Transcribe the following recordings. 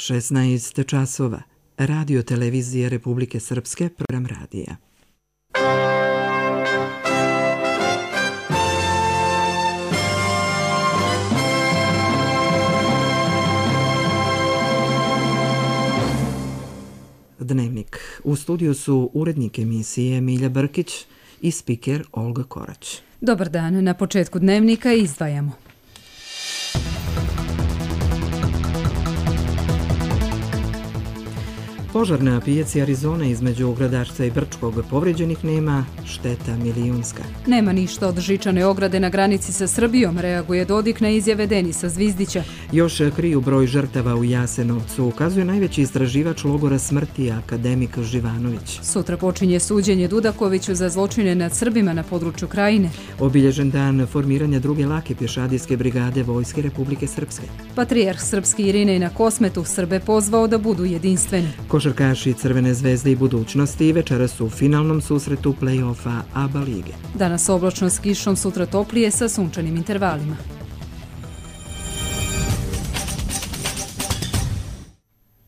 16 časova. Radio televizije Republike Srpske, program radija. Dnevnik. U studiju su urednik emisije Milja Brkić i spiker Olga Korać. Dobar dan. Na početku dnevnika izdvajamo. Požar na pijaci Arizone između Gradačca i Brčkog, povrijeđenih nema, šteta milijunska. Nema ništa od žičane ograde na granici sa Srbijom, reaguje Dodik na izjave Denisa Zvizdića. Još kriju broj žrtava u Jasenovcu, ukazuje najveći istraživač logora smrti, akademik Živanović. Sutra počinje suđenje Dudakoviću za zločine nad Srbima na području Krajine. Obilježen dan formiranja druge lake pješadijske brigade Vojske Republike Srpske. Patrijarh srpski Irinej na Kosmetu Srbe pozvao da budu jedinstveni. Košarkaši Crvene zvezde i budućnosti večeras su u finalnom susretu play-offa ABA lige. Danas oblačno s kišom, sutra toplije sa sunčanim intervalima.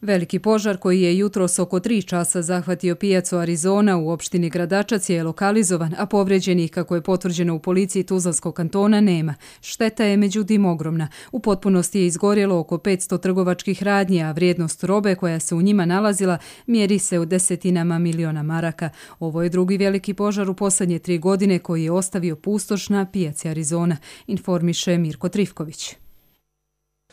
Veliki požar koji je jutros oko 3 časa zahvatio pijacu Arizona u opštini Gradačac je lokalizovan, a povrijeđenih, kako je potvrđeno u policiji Tuzlanskog kantona, nema. Šteta je međutim ogromna. U potpunosti je izgorjelo oko 500 trgovačkih radnji, a vrijednost robe koja se u njima nalazila mjeri se u desetinama miliona maraka. Ovo je drugi veliki požar u posljednje 3 godine koji je ostavio pustoš na pijaci Arizona, informiše Mirko Trifković.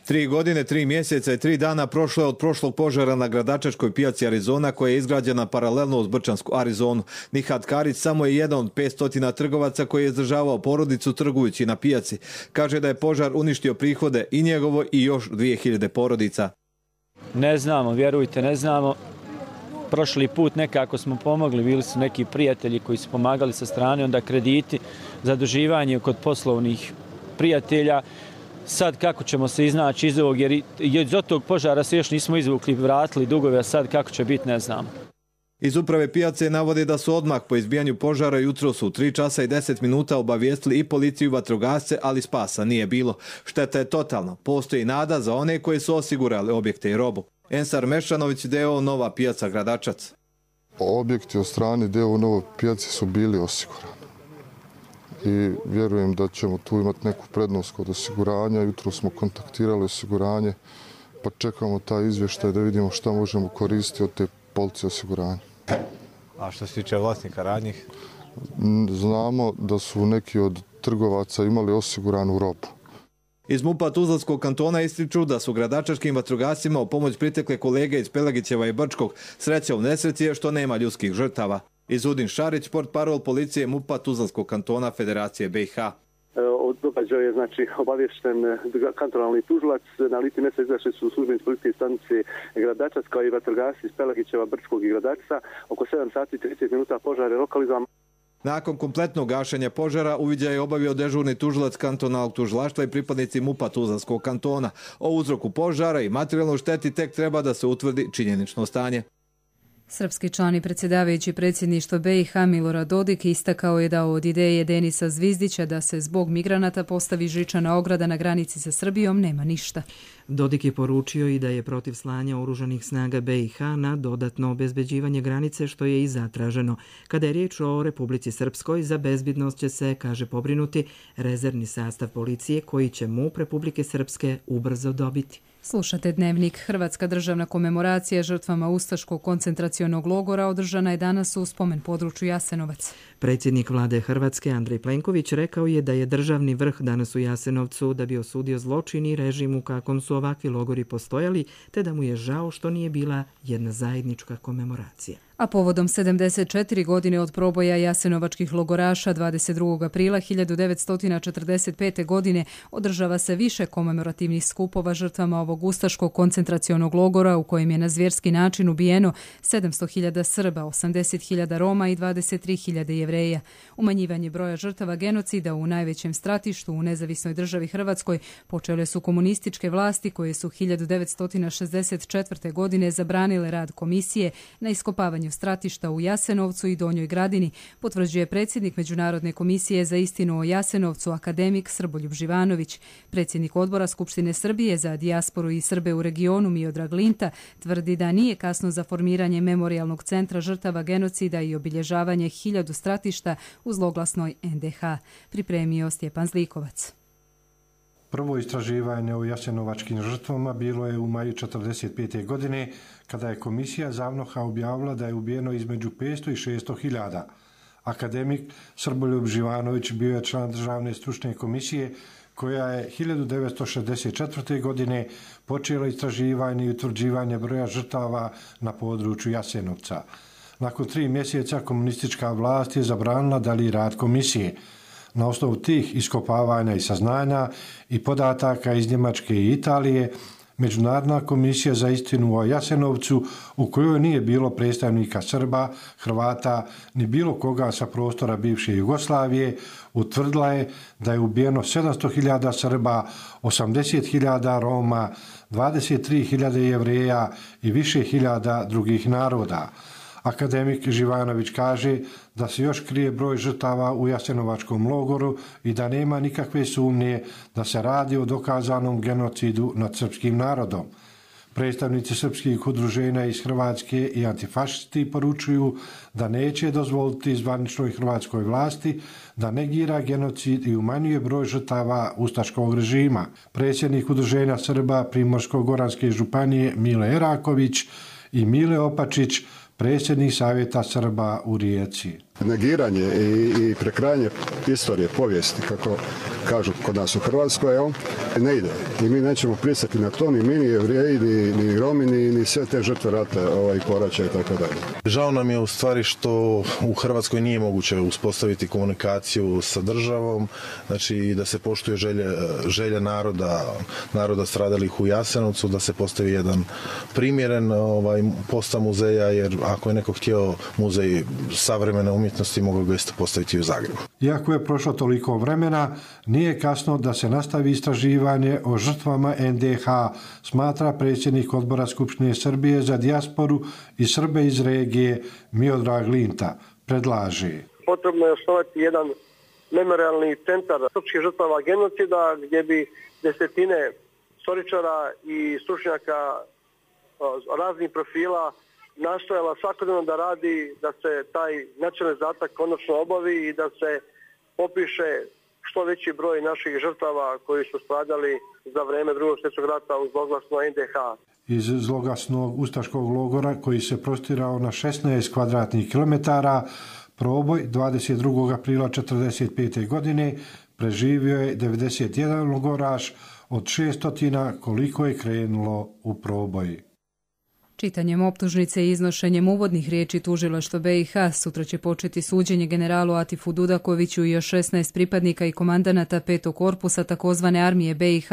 3 godine, 3 mjeseca i 3 dana prošlo je od prošlog požara na Gradačačkoj pijaci Arizona koja je izgrađena paralelno uz Brčansku Arizonu. Nihat Karić samo je jedan od 500 trgovaca koji je izdržavao porodicu trgujući na pijaci. Kaže da je požar uništio prihode i njegovo i još 2000 porodica. Ne znamo, vjerujte, ne znamo. Prošli put nekako smo pomogli, bili su neki prijatelji koji su pomagali sa strane, onda krediti, zaduživanje kod poslovnih prijatelja. Sad kako ćemo se iznaći iz ovog, jer iz tog požara se još nismo izvukli, vratili dugove, a sad kako će biti ne znamo. Iz uprave pijace navode da su odmah po izbijanju požara jutros u 3 časa i 10 minuta obavijestili i policiju i vatrogasce, ali spasa nije bilo. Šteta je totalna. Postoji nada za one koji su osigurali objekte i robu. Ensar Mešanović, DO Nova pijaca Gradačac. Objekti od strane DO Nova pijace su bili osigurani. I vjerujem da ćemo tu imati neku prednost kod osiguranja. Jutro smo kontaktirali osiguranje, pa čekamo taj izvještaj da vidimo šta možemo koristiti od te police osiguranja. A što se tiče vlasnika radnjih? Znamo da su neki od trgovaca imali osiguranu robu. Iz MUP-a Tuzlanskog kantona ističu da su gradačačkim vatrogascima u pomoć pritekle kolege iz Pelagićeva i Brčkog. Sreća u nesreći je što nema ljudskih žrtava. Izudin Šarić, portparol policije MUP-a Tuzlanskog kantona Federacije BiH. Od događaja je obavješten kantonalni tužilac. Na licu mjesta izašli su službenici policijske stanice Gradačac kao i vatrogasci iz Pelagićeva, Brčkog i Gradačca. Oko 7 sati i 30 minuta požar je lokalizovan. Nakon kompletnog gašenja požara uviđaj je obavio dežurni tužilac kantonalnog tužilaštva i pripadnici MUP-a Tuzlanskog kantona. O uzroku požara i materijalnoj šteti tek treba da se utvrdi činjenično stanje. Srpski član i predsjedavajući predsjedništva BiH Milorad Dodik istakao je da od ideje Denisa Zvizdića da se zbog migranata postavi žičana ograda na granici sa Srbijom nema ništa. Dodik je poručio i da je protiv slanja oružanih snaga BiH na dodatno obezbeđivanje granice, što je i zatraženo. Kada je riječ o Republici Srpskoj, za bezbednost će se, kaže, pobrinuti rezervni sastav policije koji će MUP Republike Srpske ubrzo dobiti. Slušate dnevnik. Hrvatska državna komemoracija žrtvama ustaškog koncentracionog logora održana je danas u spomen području Jasenovac. Predsjednik vlade Hrvatske Andrej Plenković rekao je da je državni vrh danas u Jasenovcu da bi osudio zločin i režim u kakvom su ovakvi logori postojali, te da mu je žao što nije bila jedna zajednička komemoracija. A povodom 74 godine od proboja jasenovačkih logoraša 22. aprila 1945. godine održava se više komemorativnih skupova žrtvama ovog ustaškog koncentracionog logora u kojem je na zvjerski način ubijeno 700.000 Srba, 80.000 Roma i 23.000 Jevreja. Umanjivanje broja žrtava genocida u najvećem stratištu u nezavisnoj državi Hrvatskoj počele su komunističke vlasti koje su 1964. godine zabranile rad komisije na iskopavanju stratišta u Jasenovcu i Donjoj Gradini, potvrđuje predsjednik Međunarodne komisije za istinu o Jasenovcu, akademik Srboljub Živanović. Predsjednik odbora Skupštine Srbije za dijasporu i Srbe u regionu Miodrag Linta tvrdi da nije kasno za formiranje memorijalnog centra žrtava genocida i obilježavanje 1000 stratišta u zloglasnoj NDH. Pripremio Stjepan Zlikovac. Prvo istraživanje o jasenovačkim žrtvama bilo je u maju 1945. godine, kada je komisija ZAVNOH-a objavila da je ubijeno između 500 i 600 hiljada. Akademik Srboljub Živanović bio je član državne stručne komisije koja je 1964. godine počela istraživanje i utvrđivanje broja žrtava na području Jasenovca. Nakon 3 mjeseca komunistička vlast je zabranila dalji rad komisije. Na osnovu tih iskopavanja i saznanja i podataka iz Njemačke i Italije, Međunarodna komisija za istinu o Jasenovcu, u kojoj nije bilo predstavnika Srba, Hrvata ni bilo koga sa prostora bivše Jugoslavije, utvrdila je da je ubijeno 700.000 Srba, 80.000 Roma, 23.000 Jevreja i više hiljada drugih naroda. Akademik Živanović kaže da se još krije broj žrtava u Jasenovačkom logoru i da nema nikakve sumnje da se radi o dokazanom genocidu nad srpskim narodom. Predstavnici srpskih udruženja iz Hrvatske i antifašisti poručuju da neće dozvoliti zvaničnoj hrvatskoj vlasti da negira genocid i umanjuje broj žrtava ustaškog režima. Predsjednik udruženja Srba Primorsko-goranske županije Mile Eraković i Mile Opačić, predsjednik Savjeta Srba u Rijeci. Negiranje i prekrajanje istorije, povijesti, kako kažu kod nas u Hrvatskoj, ne ide. I mi nećemo pristati na to, ni mi, ni Jevreji, ni Romi, ni sve te žrtve rata i poraća i tako dalje. Žao nam je u stvari što u Hrvatskoj nije moguće uspostaviti komunikaciju sa državom, znači da se poštuje želje naroda stradalih u Jasenovcu, da se postavi jedan primjeren postav muzeja, jer ako je neko htio muzej savremene umjetnosti, mogao ga isto postaviti u Zagrebu. Iako je prošlo toliko vremena, nije kasno da se nastavi istraživanje o žrtvama NDH, smatra predsjednik odbora Skupštine Srbije za dijasporu i Srbe iz regije Miodrag Linta. Predlaže: potrebno je osnovati jedan memorialni centar srpskih žrtava genocida gdje bi desetine istoričara i stručnjaka raznih profila nastojala svakodnevno da radi da se taj nacionalni zadatak konačno obavi i da se popiše što veći broj naših žrtava koji su stradali za vrijeme Drugog svjetskog rata u zloglasno NDH. Iz zloglasnog ustaškog logora, koji se prostirao na 16 kvadratnih kilometara, Proboj 22. aprila 1945. godine preživio je 91 logoraš od 600 koliko je krenulo u proboj. Čitanjem optužnice i iznošenjem uvodnih riječi tužilaštva BiH sutra će početi suđenje generalu Atifu Dudakoviću i još 16 pripadnika i komandanata 5. korpusa takozvane armije BiH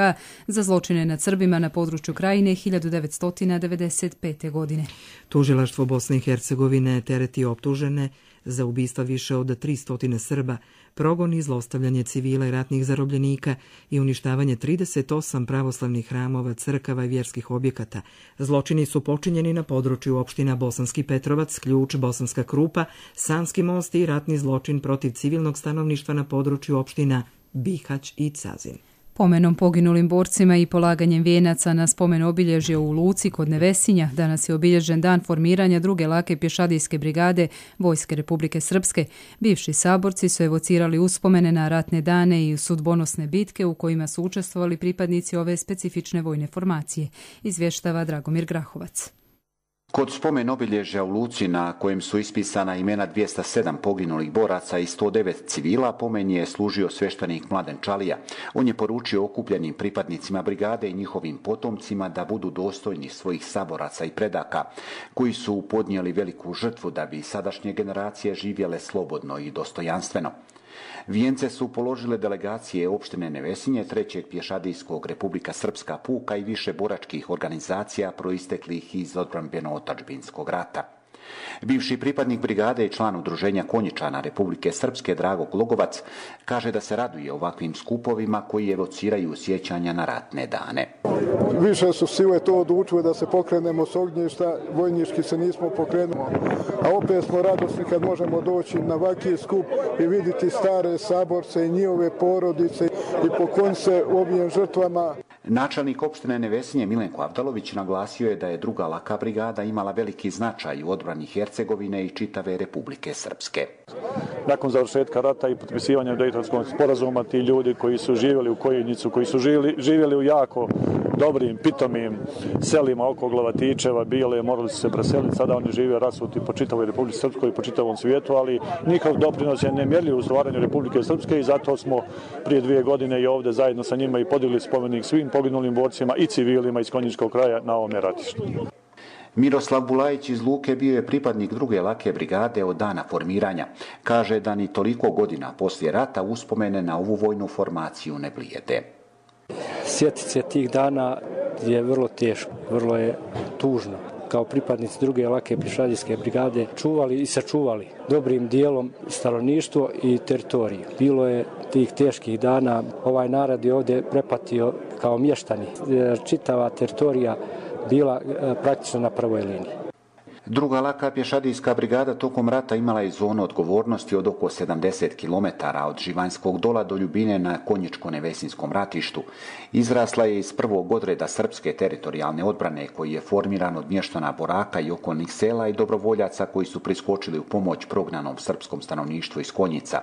za zločine nad Srbima na području Krajine 1995. godine. Tužilaštvo Bosne i Hercegovine tereti optužene za ubistva više od 300 Srba, progon i zlostavljanje civila i ratnih zarobljenika i uništavanje 38 pravoslavnih hramova, crkava i vjerskih objekata. Zločini su počinjeni na području opština Bosanski Petrovac, Ključ, Bosanska Krupa, Sanski most i ratni zločin protiv civilnog stanovništva na području opština Bihać i Cazin. Pomenom poginulim borcima i polaganjem vijenaca na spomen obilježje u Luci kod Nevesinja danas je obilježen dan formiranja druge lake pješadijske brigade Vojske Republike Srpske. Bivši saborci su evocirali uspomene na ratne dane i sudbonosne bitke u kojima su učestvovali pripadnici ove specifične vojne formacije, izvještava Dragomir Grahovac. Kod spomen obilježja u Luci na kojem su ispisana imena 207 poginulih boraca i 109 civila, pomen je služio sveštenik Mladen Čalija. On je poručio okupljenim pripadnicima brigade i njihovim potomcima da budu dostojni svojih saboraca i predaka, koji su podnijeli veliku žrtvu da bi sadašnje generacije živjele slobodno i dostojanstveno. Vijence su položile delegacije opštine Nevesinje, 3. pješadijskog Republika Srpska puka i više boračkih organizacija proisteklih iz odbrambeno-otadžbinskog rata. Bivši pripadnik brigade i član udruženja konjičana Republike Srpske Drago Glogovac kaže da se raduje ovakvim skupovima koji evociraju sjećanja na ratne dane. Više su sile to odlučile da se pokrenemo s ognjišta, vojnički se nismo pokrenuli, a opet smo radosni kad možemo doći na ovakvi skup i vidjeti stare saborce i njihove porodice i pokloniti se ovim žrtvama. Načelnik opštine Nevesinje Milenko Avdalović naglasio je da je druga laka brigada imala veliki značaj u odbrani Hercegovine i čitave Republike Srpske. Nakon završetka rata i potpisivanja Dejtonskog sporazuma, ti ljudi koji su živjeli u Kojinicu, koji su živjeli u jako dobrim, pitomim selima oko Glavatičeva, Bijele, morali su se preseliti, sada oni žive rasuti po čitavoj Republici Srpskoj i po čitavom svijetu, ali njihov doprinos je nemjerljiv u stvaranju Republike Srpske i zato smo prije 2 godine i ovdje zajedno sa njima i podigli spomenik svim poginulim borcima i civilima iz Konjičkog kraja na ovome ratištu. Miroslav Bulajić iz Luke bio je pripadnik druge lake brigade od dana formiranja. Kaže da ni toliko godina poslije rata uspomene na ovu vojnu formaciju ne blijede. Sjetiti se tih dana je vrlo teško, vrlo je tužno. Kao pripadnici druge lake pješadijske brigade čuvali i sačuvali dobrim dijelom stanovništvo i teritoriju. Bilo je tih teških dana, ovaj narod je ovdje prepatio kao mještani. Čitava teritorija bila praktično na prvoj liniji. Druga laka pješadijska brigada tokom rata imala je zonu odgovornosti od oko 70 km od Živanjskog dola do Ljubine na Konjičko-Nevesinskom ratištu. Izrasla je iz prvog odreda srpske teritorijalne odbrane koji je formiran od mještana Boraka i okolnih sela i dobrovoljaca koji su priskočili u pomoć prognanom srpskom stanovništvu iz Konjica.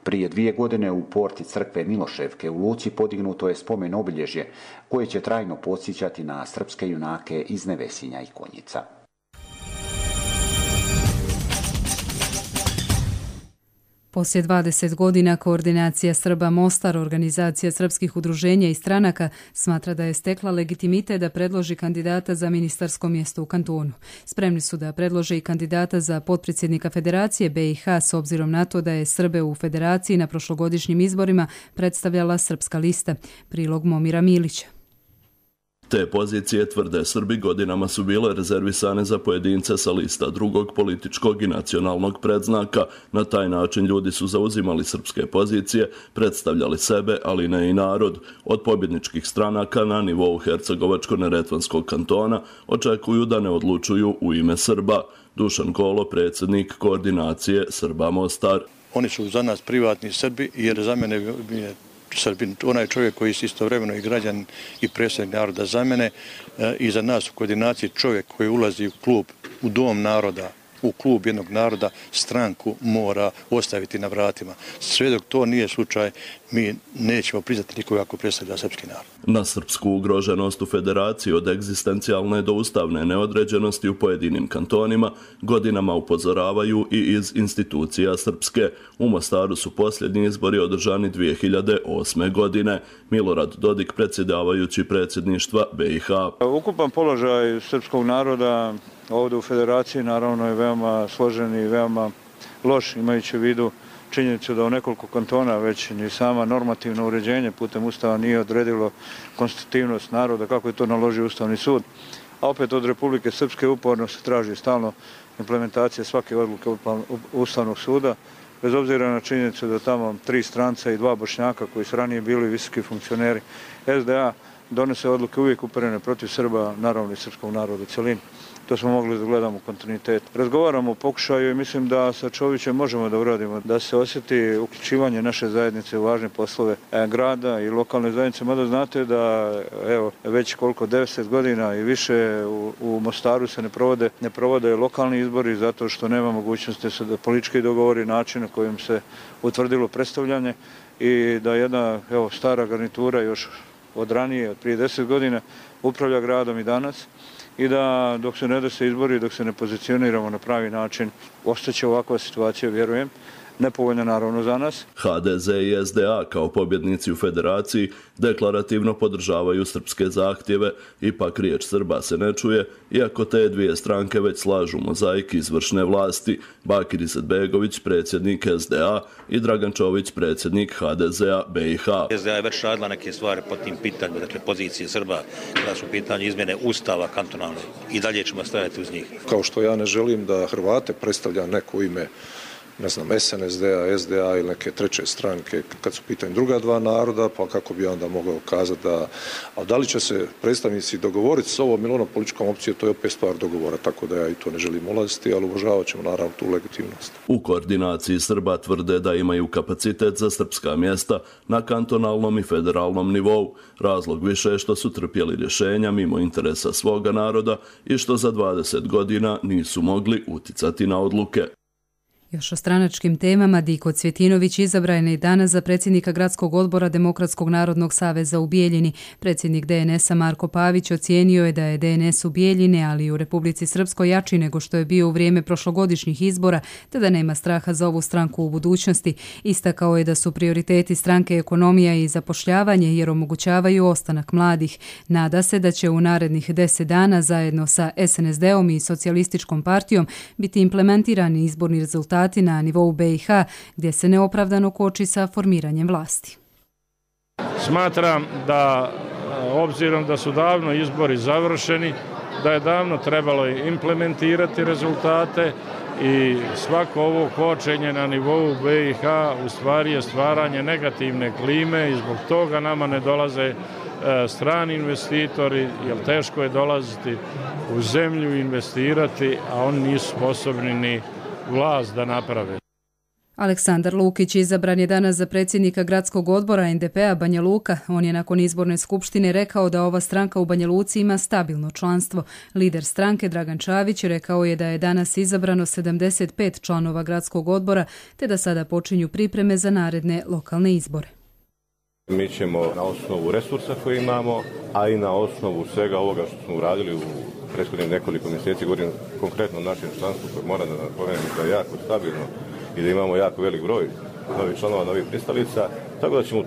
Prije 2 godine u porti crkve Miloševke u Luci podignuto je spomen obilježje koje će trajno podsjećati na srpske junake iz Nevesinja i Konjica. Poslije 20 godina Koordinacija Srba Mostar, organizacija srpskih udruženja i stranaka, smatra da je stekla legitimitet da predloži kandidata za ministarsko mjesto u kantonu. Spremni su da predlože i kandidata za potpredsjednika Federacije BiH s obzirom na to da je Srbe u Federaciji na prošlogodišnjim izborima predstavljala Srpska lista. Prilog Momira Milića. Te pozicije, tvrde Srbi, godinama su bile rezervisane za pojedince sa lista drugog političkog i nacionalnog predznaka. Na taj način ljudi su zauzimali srpske pozicije, predstavljali sebe, ali ne i narod. Od pobjedničkih stranaka na nivou Hercegovačko-Neretvanskog kantona očekuju da ne odlučuju u ime Srba. Dušan Kolo, predsjednik Koordinacije Srba Mostar. Oni su za nas privatni Srbi, jer za mene je Srbin, onaj čovjek koji je istovremeno i građan i predstavnik naroda za mene i za nas u koordinaciji čovjek koji ulazi u klub, u dom naroda, u klub jednog naroda, stranku mora ostaviti na vratima. Sve dok to nije slučaj, mi nećemo priznati nikoga ako predstavlja srpski narod. Na srpsku ugroženost u Federaciji od egzistencijalne do ustavne neodređenosti u pojedinim kantonima godinama upozoravaju i iz institucija srpske. U Mostaru su posljednji izbori održani 2008. godine. Milorad Dodik, predsjedavajući predsjedništva BiH. Ukupan položaj srpskog naroda ovdje u Federaciji naravno je veoma složen i veoma loš, imajući u vidu činjenicu da u nekoliko kantona već ni sama normativno uređenje putem Ustava nije odredilo konstitutivnost naroda kako je to naložio Ustavni sud. A opet od Republike Srpske uporno se traži stalno implementacija svake odluke Ustavnog suda, bez obzira na činjenicu da tamo 3 stranca i 2 Bošnjaka koji su ranije bili visoki funkcioneri SDA donose odluke uvijek uperene protiv Srba, naravno i srpskog naroda u cjelini. To smo mogli da gledamo u kontinuitetu. Razgovaramo o pokušaju i mislim da sa Čovićem možemo da uradimo, da se osjeti uključivanje naše zajednice u važne poslove grada i lokalne zajednice. Mada znate da evo, već koliko 90 godina i više u Mostaru se ne provode lokalni izbori zato što nema mogućnosti da politički dogovori način na kojim se utvrdilo predstavljanje i da jedna stara garnitura još od ranije, od prije 10 godina, upravlja gradom i danas i da dok se ne dese izbori, dok se ne pozicioniramo na pravi način, ostaće ovakva situacija, vjerujem. nepovoljna naravno za nas. HDZ i SDA kao pobjednici u federaciji deklarativno podržavaju srpske zahtjeve, ipak riječ Srba se ne čuje, iako te dvije stranke već slažu mozaik izvršne vlasti. Bakir Izetbegović, predsjednik SDA, i Dragan Čović, predsjednik HDZ-a BiH. SDA je već radila neke stvari po tim pitanjima, dakle pozicije Srba, kada su pitanje izmjene ustava kantonalne, i dalje ćemo stajati uz njih. Kao što ja ne želim da Hrvate predstavlja neko ime, ne znam, SNSD-a, SDA ili neke treće stranke kad su pitanje druga dva naroda, pa kako bi onda mogao kazati da li će se predstavnici dogovoriti s ovom ili onom političkom opcijom, to je opet stvar dogovora, tako da ja i to ne želim ulaziti, ali uvažavat ćemo naravno tu legitimnost. U koordinaciji Srba tvrde da imaju kapacitet za srpska mjesta na kantonalnom i federalnom nivou. Razlog više je što su trpjeli rješenja mimo interesa svoga naroda i što za 20 godina nisu mogli uticati na odluke. Još o stranačkim temama, Diko Cvjetinović izabran je danas za predsjednika Gradskog odbora Demokratskog narodnog saveza u Bijeljini. Predsjednik DNS-a Marko Pavić ocijenio je da je DNS u Bijeljini, ali i u Republici Srpskoj jači nego što je bio u vrijeme prošlogodišnjih izbora, te da nema straha za ovu stranku u budućnosti. Istakao je da su prioriteti stranke ekonomija i zapošljavanje jer omogućavaju ostanak mladih. Nada se da će u narednih 10 dana zajedno sa SNSD-om i Socijalističkom partijom biti implementirani izborni rezultati na nivou BiH, gdje se neopravdano koči sa formiranjem vlasti. Smatram da, obzirom da su davno izbori završeni, da je davno trebalo implementirati rezultate i svako ovo kočenje na nivou BiH u stvari je stvaranje negativne klime i zbog toga nama ne dolaze strani investitori, jer teško je dolaziti u zemlju i investirati, a oni nisu sposobni ni vlast da naprave. Aleksandar Lukić izabran je danas za predsjednika Gradskog odbora NDP-a Banja Luka. On je nakon izborne skupštine rekao da ova stranka u Banja Luci ima stabilno članstvo. Lider stranke Dragan Čavić rekao je da je danas izabrano 75 članova Gradskog odbora, te da sada počinju pripreme za naredne lokalne izbore. Mi ćemo na osnovu resursa koje imamo, a i na osnovu svega ovoga što smo uradili u prethodnih nekoliko mjeseci, govorim konkretno o našem članstvu koje mora da napomenem da je jako stabilno i da imamo jako velik broj novih članova, novih pristalica, tako da ćemo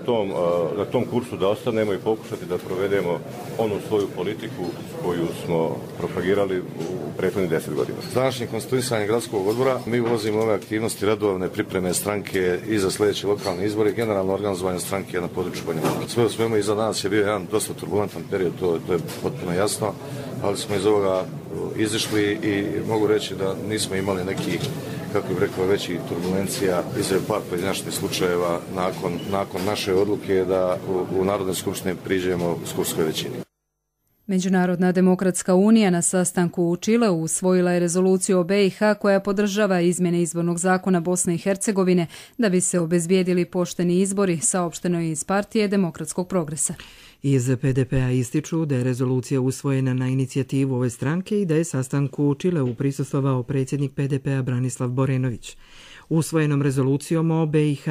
na tom kursu da ostanemo i pokušati da provedemo onu svoju politiku koju smo propagirali u prethodnih 10 godina. S današnjim konstituisanjem Gradskog odbora mi ulazimo ove aktivnosti redovne pripreme stranke i za sljedeće lokalne izbore, generalno organizovanje stranke na području Banja Luke. Sve u svemu iza nas je bio jedan dosta turbulentan period, to je potpuno jasno, ali smo iz ovoga izišli i mogu reći da nismo imali neki, kako bih rekao, veći turbulencija, izred par pojedinačnih slučajeva nakon naše odluke da u Narodnoj skupštini priđemo skupskoj većini. Međunarodna demokratska unija na sastanku u Čileu usvojila je rezoluciju o BiH koja podržava izmjene izbornog zakona Bosne i Hercegovine da bi se obezbijedili pošteni izbori, saopšteno je iz partije Demokratskog progresa. Iz PDP-a ističu da je rezolucija usvojena na inicijativu ove stranke i da je sastanku u Čileu prisustvovao predsjednik PDP-a Branislav Borenović. Usvojenom rezolucijom o BiH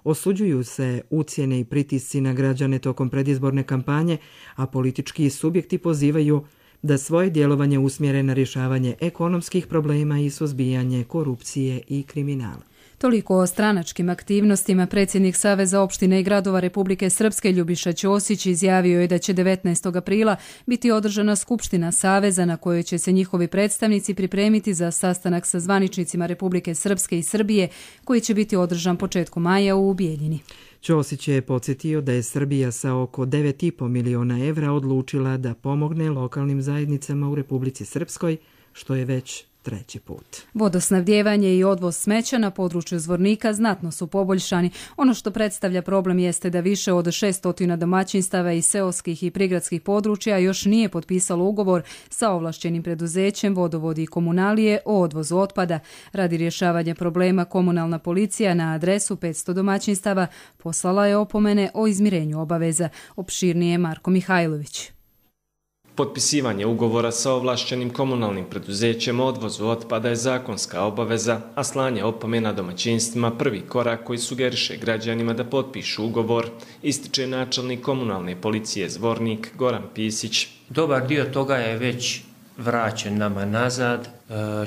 osuđuju se ucjene i pritisci na građane tokom predizborne kampanje, a politički subjekti pozivaju da svoje djelovanje usmjere na rješavanje ekonomskih problema i suzbijanje korupcije i kriminala. Toliko o stranačkim aktivnostima. Predsjednik Saveza opština i gradova Republike Srpske Ljubiša Ćosić izjavio je da će 19. aprila biti održana skupština Saveza na kojoj će se njihovi predstavnici pripremiti za sastanak sa zvaničnicima Republike Srpske i Srbije koji će biti održan početkom maja u Bijeljini. Ćosić je podsjetio da je Srbija sa oko 9,5 miliona evra odlučila da pomogne lokalnim zajednicama u Republici Srpskoj, što je već 3. put. Vodosnabdijevanje i odvoz smeća na području Zvornika znatno su poboljšani. Ono što predstavlja problem jeste da više od 600 domaćinstava iz seoskih i prigradskih područja još nije potpisalo ugovor sa ovlašćenim preduzećem Vodovodi i komunalije o odvozu otpada. Radi rješavanja problema komunalna policija na adresu 500 domaćinstava poslala je opomene o izmirenju obaveza. Opširnije Marko Mihajlović. Potpisivanje ugovora sa ovlašćenim komunalnim preduzećem o odvozu otpada je zakonska obaveza, a slanje opomena domaćinstvima prvi korak koji sugeriše građanima da potpišu ugovor, ističe načelnik komunalne policije Zvornik Goran Pisić. Dobar dio toga je već vraćen nama nazad,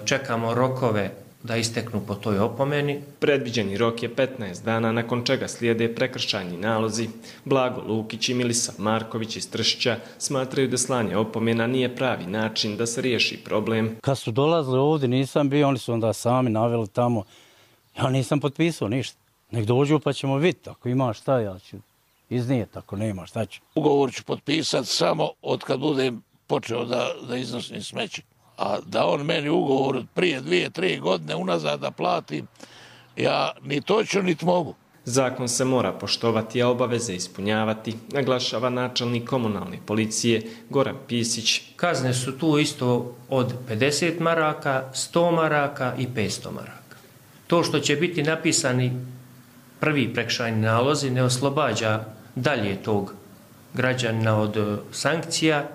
čekamo rokove da isteknu po toj opomeni. Predviđeni rok je 15 dana, nakon čega slijede prekršajni nalozi. Blago Lukić i Milisav Marković iz Tršića smatraju da slanje opomena nije pravi način da se riješi problem. Kad su dolazili ovdje, nisam bio, oni su onda sami naveli tamo. Ja nisam potpisao ništa. Nek dođu pa ćemo vidjeti. Ako ima šta, ja ću iznijeti. Ako nema, šta ću. Ugovor ću potpisati samo od kad budem počeo da iznosim smeće. A da on meni ugovor od prije 2-3 godine unazad da platim, ja ni to ću, niti mogu. Zakon se mora poštovati, a obaveze ispunjavati, naglašava načelnik komunalne policije Goran Pisić. Kazne su tu isto od 50 maraka, 100 maraka i 500 maraka. To što će biti napisani prvi prekršajni nalozi ne oslobađa dalje tog građanina od sankcija,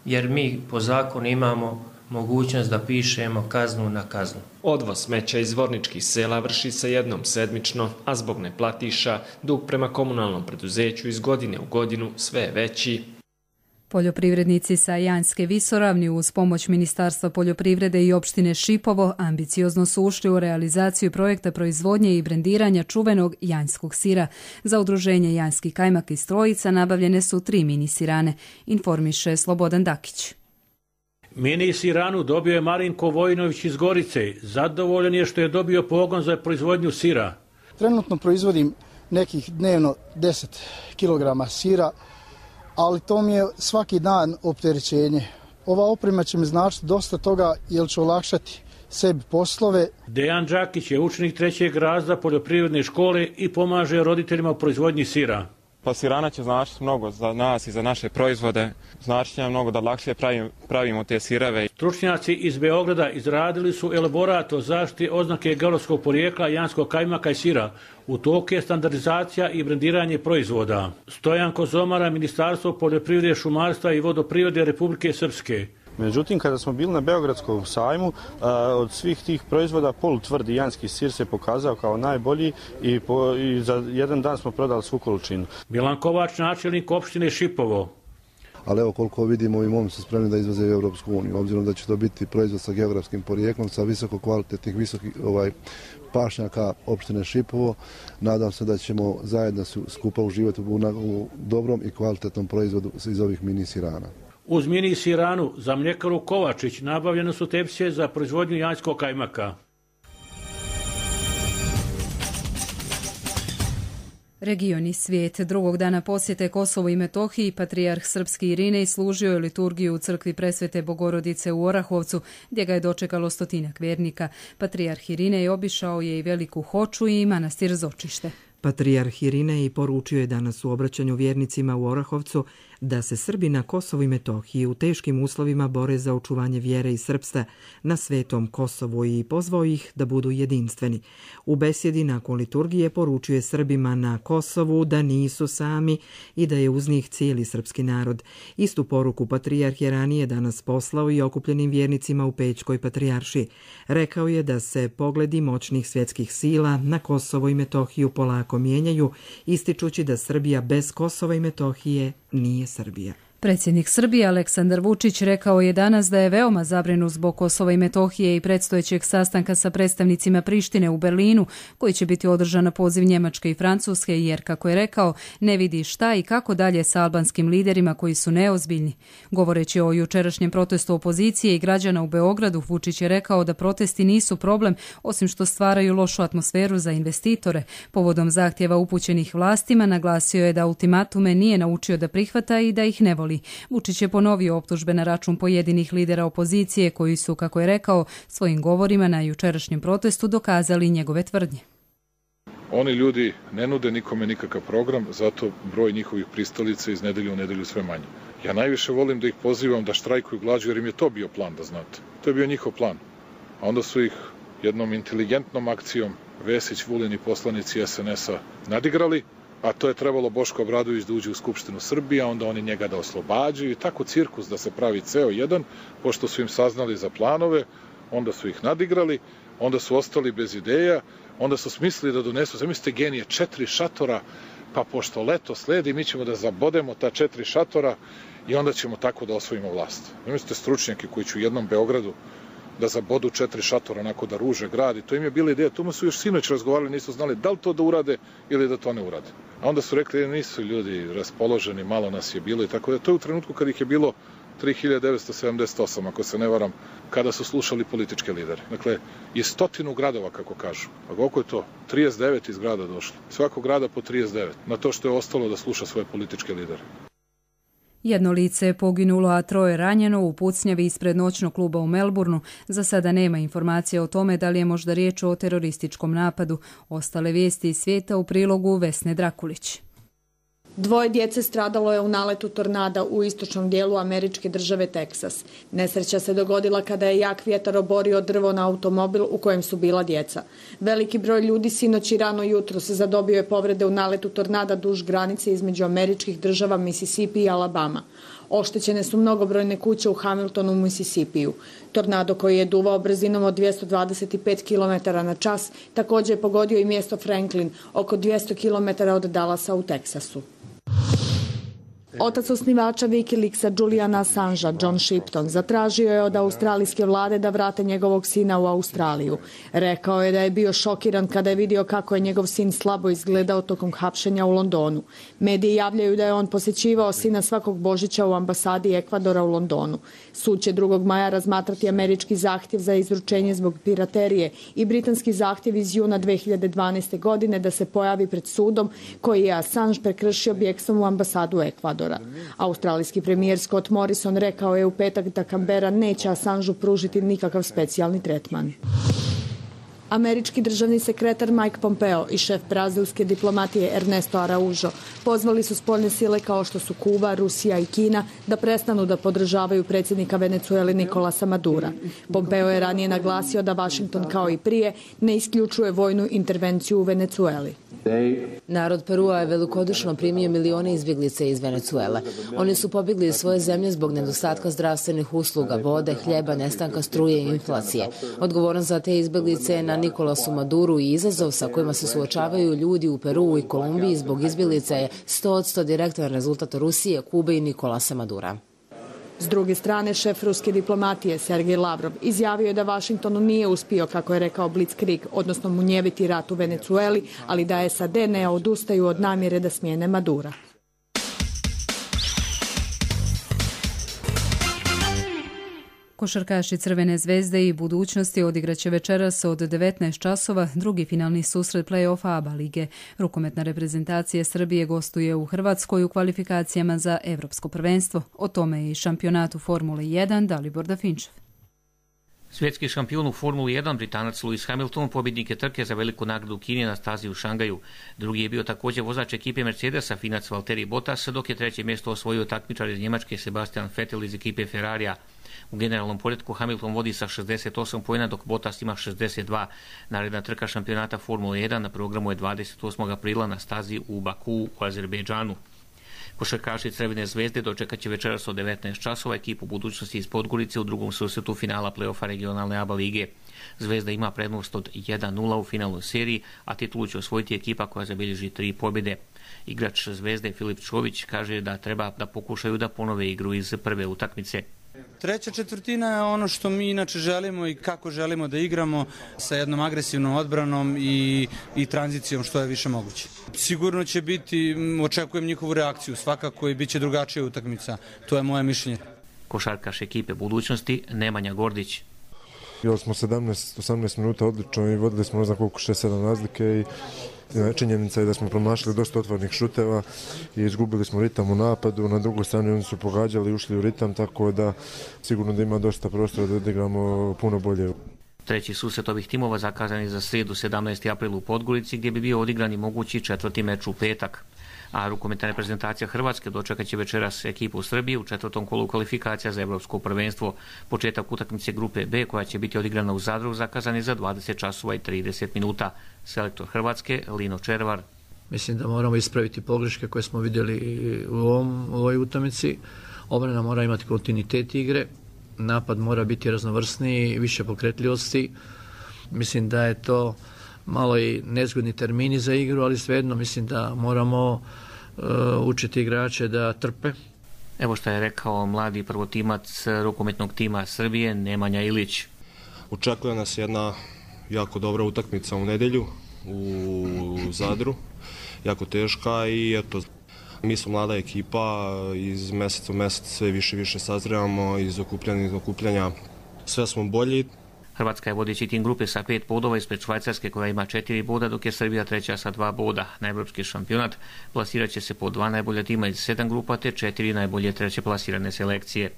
jer mi po zakonu imamo mogućnost da pišemo kaznu na kaznu. Odvoz smeća iz Zvorničkih sela vrši se jednom sedmično, a zbog neplatiša dug prema komunalnom preduzeću iz godine u godinu sve je veći. Poljoprivrednici sa Janjske visoravni uz pomoć Ministarstva poljoprivrede i opštine Šipovo ambiciozno su ušli u realizaciju projekta proizvodnje i brendiranja čuvenog janjskog sira. Za udruženje Janjski kajmak iz Trojica nabavljene su 3 mini sirane, informiše Slobodan Dakić. Mini siranu dobio je Marinko Vojinović iz Gorice. Zadovoljan je što je dobio pogon za proizvodnju sira. Trenutno proizvodim nekih dnevno 10 kg sira, ali to mi je svaki dan opterećenje. Ova oprema će mi značiti dosta toga jer će olakšati sebi poslove. Dejan Đakić je učenik 3. razreda poljoprivredne škole i pomaže roditeljima u proizvodnji sira. Pa sirana će značiti mnogo za nas i za naše proizvode. Znači će nam mnogo da lakše pravimo te sireve. Stručnjaci iz Beograda izradili su elaborat o zaštiti oznake geografskog porijekla janjskog kajmaka i sira. U toku je standardizacija i brendiranje proizvoda. Stojan Kozomara, Ministarstvo poljoprivrede, šumarstva i vodoprivrede Republike Srpske. Međutim, kada smo bili na Beogradskom sajmu, od svih tih proizvoda polutvrdi janjski sir se pokazao kao najbolji i za jedan dan smo prodali svu količinu. Milan Kovač, načelnik opštine Šipovo. Ali evo koliko vidimo i momci su spremni da izvoze u Europsku uniju, obzirom da će to biti proizvod sa geografskim porijeklom, sa visoko kvalitetnih pašnjaka opštine Šipovo. Nadam se da ćemo zajedno skupa uživati u dobrom i kvalitetnom proizvodu iz ovih mini sirana. Uz mini siranu za mljekaru Kovačić nabavljene su tepsije za proizvodnju janjskog kajmaka. Region i svijet. Drugog dana posjete Kosovo i Metohiji patrijarh srpski Irinej služio je liturgiju u crkvi Presvete Bogorodice u Orahovcu, gdje ga je dočekalo 100-ak vjernika. Patrijarh Irinej obišao je i Veliku Hoču i manastir Zočište. Patrijarh Irinej poručio je danas u obraćanju vjernicima u Orahovcu da se Srbi na Kosovu i Metohiji u teškim uslovima bore za očuvanje vjere i srpstva na svetom Kosovu i pozvao ih da budu jedinstveni. U besjedi nakon liturgije poručio je Srbima na Kosovu da nisu sami i da je uz njih cijeli srpski narod. Istu poruku patrijarh je ranije danas poslao i okupljenim vjernicima u Pećkoj patrijaršiji. Rekao je da se pogledi moćnih svjetskih sila na Kosovo i Metohiju polako mijenjaju, ističući da Srbija bez Kosova i Metohije nije Srbija. Predsjednik Srbije Aleksandar Vučić rekao je danas da je veoma zabrinut zbog Kosova i Metohije i predstojećeg sastanka sa predstavnicima Prištine u Berlinu, koji će biti održan na poziv Njemačke i Francuske, jer, kako je rekao, ne vidi šta i kako dalje sa albanskim liderima koji su neozbiljni. Govoreći o jučerašnjem protestu opozicije i građana u Beogradu, Vučić je rekao da protesti nisu problem, osim što stvaraju lošu atmosferu za investitore. Povodom zahtjeva upućenih vlastima naglasio je da ultimatume nije naučio da prihvata i da ih ne voli. Vučić je ponovio optužbe na račun pojedinih lidera opozicije koji su, kako je rekao, svojim govorima na jučerašnjem protestu dokazali njegove tvrdnje. Oni ljudi ne nude nikome nikakav program, zato broj njihovih pristalica iz nedelje u nedelju sve manje. Ja najviše volim da ih pozivam da štrajkuju glađu jer im je to bio plan, da znate. To je bio njihov plan. A onda su ih jednom inteligentnom akcijom Vesić, Vulin i poslanici SNS-a nadigrali, a to je trebalo Boško Obradović da uđe u Skupštinu Srbije, onda oni njega da oslobađaju i tako cirkus da se pravi ceo jedan, pošto su im saznali za planove, onda su ih nadigrali, onda su ostali bez ideja, onda su smislili da donesu, zamislite genije, 4 šatora, pa pošto leto sledi, mi ćemo da zabodemo ta 4 šatora i onda ćemo tako da osvojimo vlast. Zamislite stručnjake koji će u jednom Beogradu da zabodu 4 šatora, onako da ruže grad i to im je bila ideja. To su još sinoć razgovarali, nisu znali da li to da urade ili da to ne urade. A onda su rekli, nisu ljudi raspoloženi, malo nas je bilo i tako da. To je u trenutku kad ih je bilo 3978, ako se ne varam, kada su slušali političke lidere. Dakle, iz 100 gradova, kako kažu. A koliko je to? 39 iz grada došlo. Svakog grada po 39. Na to što je ostalo da sluša svoje političke lidere. Jedno lice je poginulo, a 3 ranjeno u pucnjavi ispred noćnog kluba u Melbourneu. Za sada nema informacija o tome da li je možda riječ o terorističkom napadu. Ostale vijesti iz svijeta u prilogu Vesne Drakulić. 2 djece stradalo je u naletu tornada u istočnom dijelu američke države Teksas. Nesreća se dogodila kada je jak vjetar oborio drvo na automobil u kojem su bila djeca. Veliki broj ljudi sinoć i rano jutro se zadobio je povrede u naletu tornada duž granice između američkih država Mississippi i Alabama. Oštećene su mnogobrojne kuće u Hamiltonu, Mississippiju. Tornado koji je duvao brzinom od 225 km/h također je pogodio i mjesto Franklin, oko 200 km od Dallasa u Teksasu. Otac osnivača Wikileaksa Juliana Assangea, John Shipton, zatražio je od australijske vlade da vrate njegovog sina u Australiju. Rekao je da je bio šokiran kada je vidio kako je njegov sin slabo izgledao tokom hapšenja u Londonu. Mediji javljaju da je on posjećivao sina svakog Božića u ambasadi Ekvadora u Londonu. Sud će 2. maja razmatrati američki zahtjev za izručenje zbog piraterije i britanski zahtjev iz juna 2012. godine da se pojavi pred sudom koji je Assange prekršio bijegstvom u ambasadu Ekvadora. Australijski premijer Scott Morrison rekao je u petak da Canberra neće Assangeu pružiti nikakav specijalni tretman. Američki državni sekretar Mike Pompeo i šef brazilske diplomatije Ernesto Araújo pozvali su spoljne sile kao što su Kuba, Rusija i Kina da prestanu da podržavaju predsjednika Venecuele Nicolasa Madura. Pompeo je ranije naglasio da Washington kao i prije ne isključuje vojnu intervenciju u Venecueli. Narod Perua je velikodušno primio milione izbjeglica iz Venecuele. Oni su pobjegli iz svoje zemlje zbog nedostatka zdravstvenih usluga, vode, hljeba, nestanka struje i inflacije. Odgovoran za te izbjeglice je na Nicolasu Maduru i izazov sa kojima se suočavaju ljudi u Peruu i Kolumbiji zbog izbjeglica je 100% direktan rezultat Rusije, Kube i Nicolasa Madura. S druge strane, šef ruske diplomatije Sergej Lavrov izjavio je da Washingtonu nije uspio, kako je rekao Blitzkrieg, odnosno munjeviti rat u Venecueli, ali da SAD ne odustaju od namjere da smijene Madura. Košarkaši Crvene zvezde i budućnosti odigraće večeras od 19 časova drugi finalni susret play-offa ABA lige. Rukometna reprezentacija Srbije gostuje u Hrvatskoj u kvalifikacijama za Evropsko prvenstvo. O tome je i šampionatu Formule 1 Dalibor Dafinčev. Svjetski šampion u Formuli 1, Britanac Lewis Hamilton, pobjednik je trke za veliku nagradu u Kini na stazi u Šangaju. Drugi je bio također vozač ekipe Mercedesa, Finac Valtteri Bottas, dok je 3. mjesto osvojio takmičar iz Njemačke Sebastian Vettel iz ekipe Ferrarija. U generalnom poretku Hamilton vodi sa 68 poena, dok Bottas ima 62. Naredna trka šampionata Formule 1 na programu je 28. aprila na stazi u Baku u Azerbejdžanu. Košarkaši Crvene zvezde dočekat će večeras od 19 časova ekipu budućnosti iz Podgorice u drugom susretu finala play-offa regionalne ABA lige. Zvezda ima prednost od 1-0 u finalnoj seriji, a titulu će osvojiti ekipa koja zabilježi 3 pobjede. Igrač Zvezde Filip Čović kaže da treba da pokušaju da ponove igru iz prve utakmice. Treća četvrtina je ono što mi inače želimo i kako želimo da igramo, sa jednom agresivnom odbranom i tranzicijom što je više moguće. Sigurno će biti, očekujem njihovu reakciju, svakako i bit će drugačija utakmica, to je moje mišljenje. Košarkaš ekipe budućnosti Nemanja Gordić. Igrali smo 17-18 minuta odlično i vodili smo ne znam koliko 6-7 razlike i činjenica je da smo promašili dosta otvornih šuteva i izgubili smo ritam u napadu. Na drugoj strani oni su pogađali i ušli u ritam, tako da sigurno da ima dosta prostora da odigramo puno bolje. Treći susret ovih timova zakazan je za srijedu 17. april u Podgorici, gdje bi bio odigran i mogući 4. meč u petak. A rukometna reprezentacija Hrvatske dočekat će večeras ekipu Srbije u 4. kolu kvalifikacija za Evropsko prvenstvo. Početak utakmice grupe B, koja će biti odigrana u Zadru, zakazan je za 20 časova i 30 minuta. Selektor Hrvatske Lino Červar. Mislim da moramo ispraviti pogreške koje smo vidjeli u ovoj utakmici. Obrana mora imati kontinuitet igre, napad mora biti raznovrsniji, više pokretljivosti. Mislim da je to malo i nezgodni termini za igru, ali svejedno mislim da moramo učiti igrače da trpe. Evo što je rekao mladi prvotimac rukometnog tima Srbije Nemanja Ilić. Očekuje nas jedna jako dobra utakmica u nedjelju u Zadru, jako teška i eto, mi smo mlada ekipa, iz mjeseca u mjesec sve više i više sazrevamo, iz okupljanja sve smo bolji. Hrvatska je vodeći tim grupe sa 5 bodova ispred Švajcarske koja ima 4 boda, dok je Srbija treća sa 2 boda. Na evropski šampionat plasirat će se po 2 najbolja tima iz 7 grupa te 4 najbolje treće plasirane selekcije.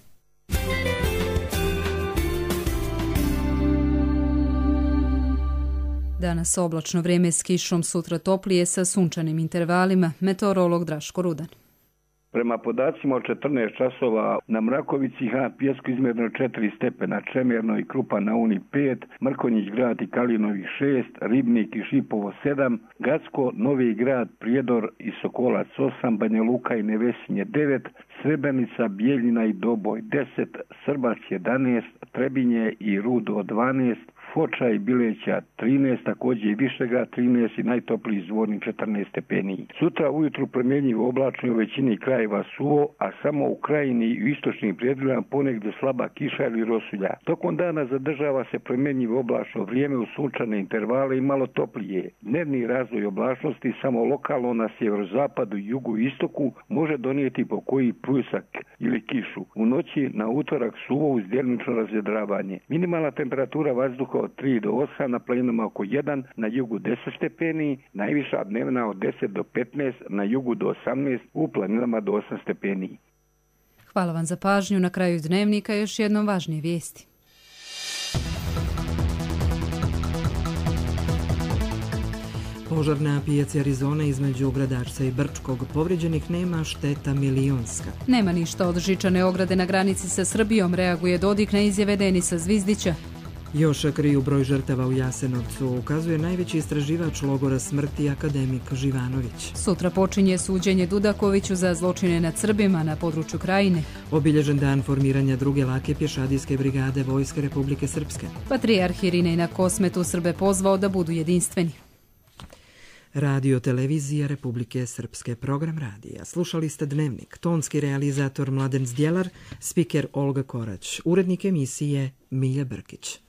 Danas oblačno vrijeme s kišom, sutra toplije sa sunčanim intervalima. Meteorolog Draško Rudan. Prema podacima od 14 časova na Mrakovici na Pijesku izmjereno 4 stepena, Čemerno i Krupa na Uni 5, Mrkonjić grad i Kalinovih 6, Ribnik i Šipovo 7, Gacko, Novi grad, Prijedor i Sokolac 8, Banja Luka i Nevesinje 9, Srebrenica, Bijeljina i Doboj 10, Srbac 11, Trebinje i Rudo 12, Foča i Bileća 13, također i Višegrad 13 i najtopliji Zvornik 14 stepeni. Sutra ujutru promjenjivo oblačno u većini krajeva suvo, a samo u krajini i u istočnim predjelima ponegdje slaba kiša ili rosulja. Tokom dana zadržava se promjenjivo oblačno vrijeme u sunčane intervale i malo toplije. Dnevni razvoj oblačnosti samo lokalno na sjeverozapadu, jugu i istoku može donijeti po koji pljusak ili kišu. U noći na utorak suvo uz djelimično razvedravanje. Minimalna temperatura vazduha od 3 do 8, na planinama oko 1, na jugu 10 stepeni, najviša dnevna od 10 do 15, na jugu do 18, u planinama do 8 stepeni. Hvala vam za pažnju. Na kraju dnevnika još jednom važnije vijesti. Požar na pijaci Arizone između Gradačca i Brčkog. Povrijeđenih nema, šteta milionska. Nema ništa od žičane ograde na granici sa Srbijom, reaguje Dodik na izjave Denisa Zvizdića. Još kriju broj žrtava u Jasenovcu, ukazuje najveći istraživač logora smrti akademik Živanović. Sutra počinje suđenje Dudakoviću za zločine nad Srbima na području Krajine. Obilježen dan formiranja druge lake pješadijske brigade Vojske Republike Srpske. Patrijarh Irinej na Kosmetu Srbe pozvao da budu jedinstveni. Radio televizija Republike Srpske, program radija. Slušali ste Dnevnik, tonski realizator Mladen Zdjelar, spiker Olga Korać, urednik emisije Milja Brkić.